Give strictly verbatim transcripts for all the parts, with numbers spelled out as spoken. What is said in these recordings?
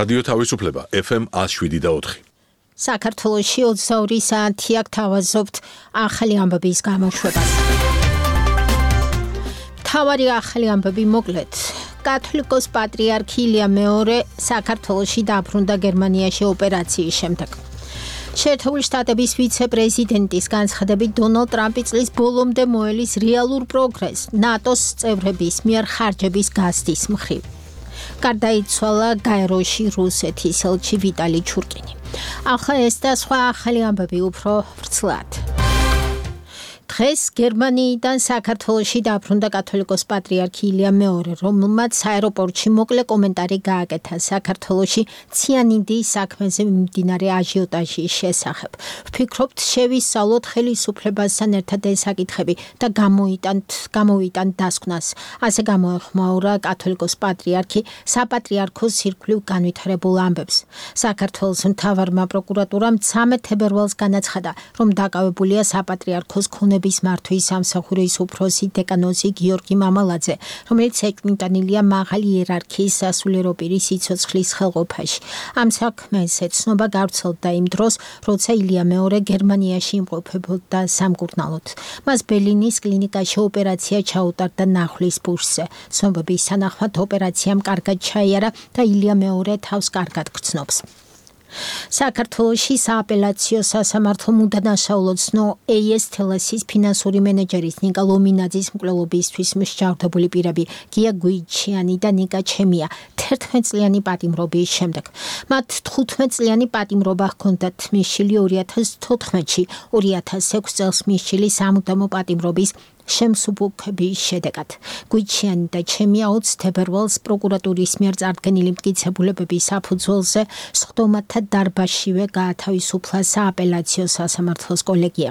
რადიო თავისუფლება ეფ ემ ათს შვიდი და ოთხი. საქართველოში ოცდაორი საათი აქ თავაზობთ ახალი ამბების გამოშვებას. მთავარი ახალი ამბები მოკლედ. კათოლიკოს პატრიარქი ილია მეორე საქართველოში დაბრუნდა გერმანიაში ოპერაციის შემდეგ. შეერთებული შტატების ვიცე-პრეზიდენტის განცხადებით დონალდ ტრამპი წლის ბოლომდე მოელის რეალურ პროგრესს ნატოს წევრების მიერ ხარჯების გაზრდის მხრივ. გარდაიცვალა გაეროში რუსეთის ელჩი ვიტალი ჩურკინი. ახლა ეს და სხვა ახალი ამბები უფრო ვრცლად. დღეს გერმანიიდან საქართველოში დაბრუნდა კათოლიკოს პატრიარქი ილია მეორე, რომელმაც აეროპორტში მოკლე კომენტარი გააკეთა საქართველოში ციანიდის საქმეზე მიმდინარე აჟიოტაჟის შესახებ. ვფიქრობთ, შევისწავლოთ ხელისუფლებასთან ერთად ეს საკითხები და გამოიტანთ, გამოვიტანთ დასკვნას. ასე გამოეხმაურა კათოლიკოს პატრიარქი საპატრიარქოს ირგვლივ განვითარებულ ამბებს. საქართველოს მთავარმა პროკურატურამ მცამეტ თებერვალს განაცხადა, რომ დაკავებულია საპატრიარქოს ქონების მართვის სამსახურის უფროსი დეკანოზი გიორგი მამალაძე, რომელიც ეკმიტანილია მაღალი იერარქიის სასულიერო პირის სიცოცხლის ხელყოფაში. ამ საქმეს ეცნობა გავრცელდა იმ დროს, როცა ილია მეორე გერმანიაში იმყოფებოდა სამკურნალოდ. მას ბერლინის კლინიკაში ოპერაცია ჩაუტარდა ნახვის პულსზე. ცნობების თანახმად ოპერაციამ კარგად ჩაიარა და ილია მეორე თავს კარგად გრძნობს. საქართველოში სააპელაციო სასამართლომ უდანაშაულო ცნო ეი ეს თელესის ფინანსური მენეჯერის ნიკა ლომინაძის მკვლელობისთვის მსჯავრდებული პირები გია გვიჩიანი და ნიკა ჩემია თერთმეტ წლიანი პატიმრობის შემდეგ. მათ თხუთმეტ წლიანი პატიმრობა ჰქონდათ მისშილი ორი ათას თოთხმეტში, ორი ათას ექვსი წელს მისშილი სამუდამო პატიმრობის შემსუბუქების შედეგად. გვიჩიანი და ჩემია ოცი თებერვალს პროკურატურის მიერ წარდგენილი მტკიცებულებების საფუძველზე სხდომათა დარბაზშივე გაათავისუფლა სააპელაციო სასამართლოს კოლეგია.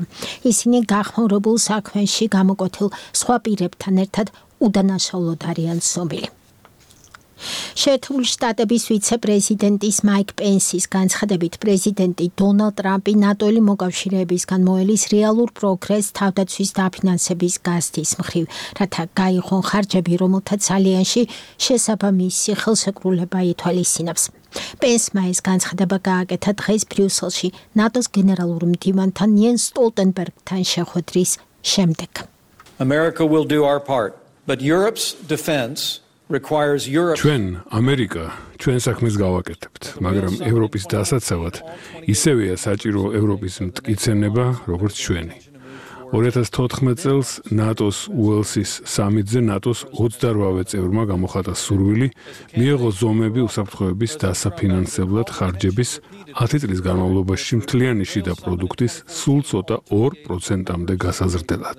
ისინი გახმაურებულ საქმეში გამოკვეთილ სხვა პირებთან ერთად უდანაშაულოდ არიან ცნობილი. შეერთებული შტატების ვიცე-პრეზიდენტის მაიკ პენსის განცხადებით პრეზიდენტი დონალდ ტრამპი ნატოელი მოკავშირეებისგან მოელის რეალურ პროგრესს თავდაცვის დაფინანსების გაზრდის მხრივ, რათა გაიღონ ხარჯები, რომელთაც ალიანსში შესაბამისი ხელშეკრულება ითვალისწინებს. პენსმა ეს განცხადება გააკეთა დღეს ბრიუსელში ნატოს გენერალურ მდივანთან იენს სტოლტენბერგთან შეხვედრის შემდეგ. America will do our part, but Europe's defense ჩვენ ამერიკა ჩვენ საქმეს გავაკეთებთ, მაგრამ ევროპის დასაცავად ისევეა საჭირო ევროპის მტკიცება, როგორც ჩვენი. ორი ათას თოთხმეტ წელს ნატოს უელსის სამიტზე ნატოს ოცდაორი წევრმა გამოხატა სურვილი მიეღო ზომები უსაფრთხოების დასაფინანსებლად ხარჯების ათი წლის განმავლობაში მთლიანი შიდა პროდუქტის სულ ცოტა ორ პროცენტამდე გასაზრდელად.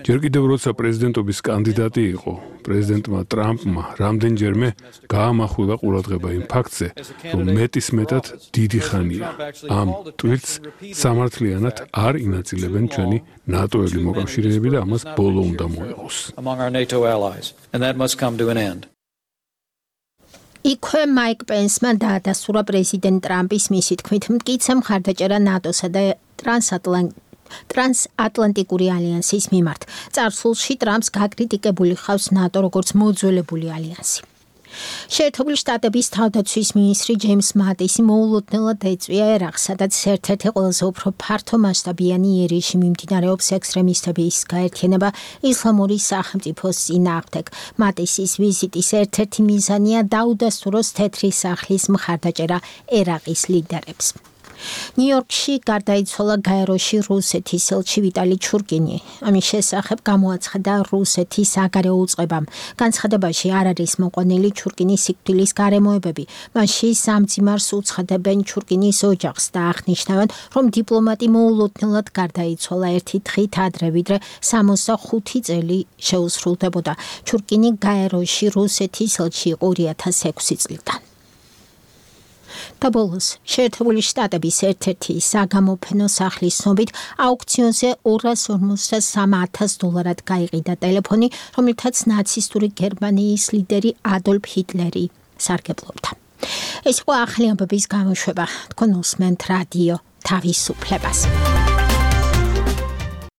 ჯერ კიდევ როცა პრეზიდენტობის კანდიდატი იყო, პრეზიდენტმა ტრამპმა რამდენჯერმე გაამახვილა ყურადღება იმ ფაქტზე, რომ მეტისმეტად დიდი ხანია ამ ტვირთს სამართლიანად არ ინაწილებენ ჩვენი ნატოელი მოკავშირეები და ამას ბოლო უნდა მოეღოს. იქვე მაიკ პენსმა დაადასტურა პრეზიდენტ ტრამპის მისი თქმით მტკიცე მხარდაჭერა ნატოსა და ტრანსატლანტ ტრანსატლანტიკური ალიანსის მიმართ. წარსულში ტრამპს გაკრიტიკებული ხავს ნატო როგორც მოძველებული ალიანსი. შეერთებული შტატების თავდაცვის მინისტრი ჯეიმს მატისი მოულოდნელად ეწვია ერაყს, სადაც ერთ-ერთი ყველაზე უფრო ფართომასშტაბიანი იერიში მიმდინარეობს ექსტრემისტების გაერთიანება ისლამური სახელმწიფოს წინააღმდეგ. მატისის ვიზიტის ერთ-ერთი მიზანია დაუდასტუროს თეთრი სახლის მხარდაჭერა ერაყის ლიდერებს. ნიუ-იორკში გარდაიცვალა გაეროში რუსეთის ელჩი ვიტალი ჩურკინი. ამის შესახებ გამოაცხადა რუსეთის საგარეო უწყებამ. განცხადებაში არ არის მოყვანილი ჩურკინის სიკვდილის გარემოებები. მასში სამძიმარს უცხადებენ ჩურკინის ოჯახს და აღნიშნავენ, რომ დიპლომატი მოულოდნელად გარდაიცვალა ერთი დღით ადრე, ვიდრე სამოცდახუთი წელი შეუსრულდებოდა. ჩურკინი გაეროში რუსეთის ელჩი იყო ორი ათას ექვსი წლიდან. და ბოლოს, შეერთებული შტატების ერთ-ერთი საგამოფენო სახლის ცნობით აუქციონზე ორას ორმოცდასამ ათას დოლარად გაიყიდა ტელეფონი, რომელთაც ნაცისტური გერმანიის ლიდერი ადოლფ ჰიტლერი სარგებლობდა. ეს იყო ახალი ამბების გამოშვება. თქვენ უსმენთ რადიო თავისუფლებას.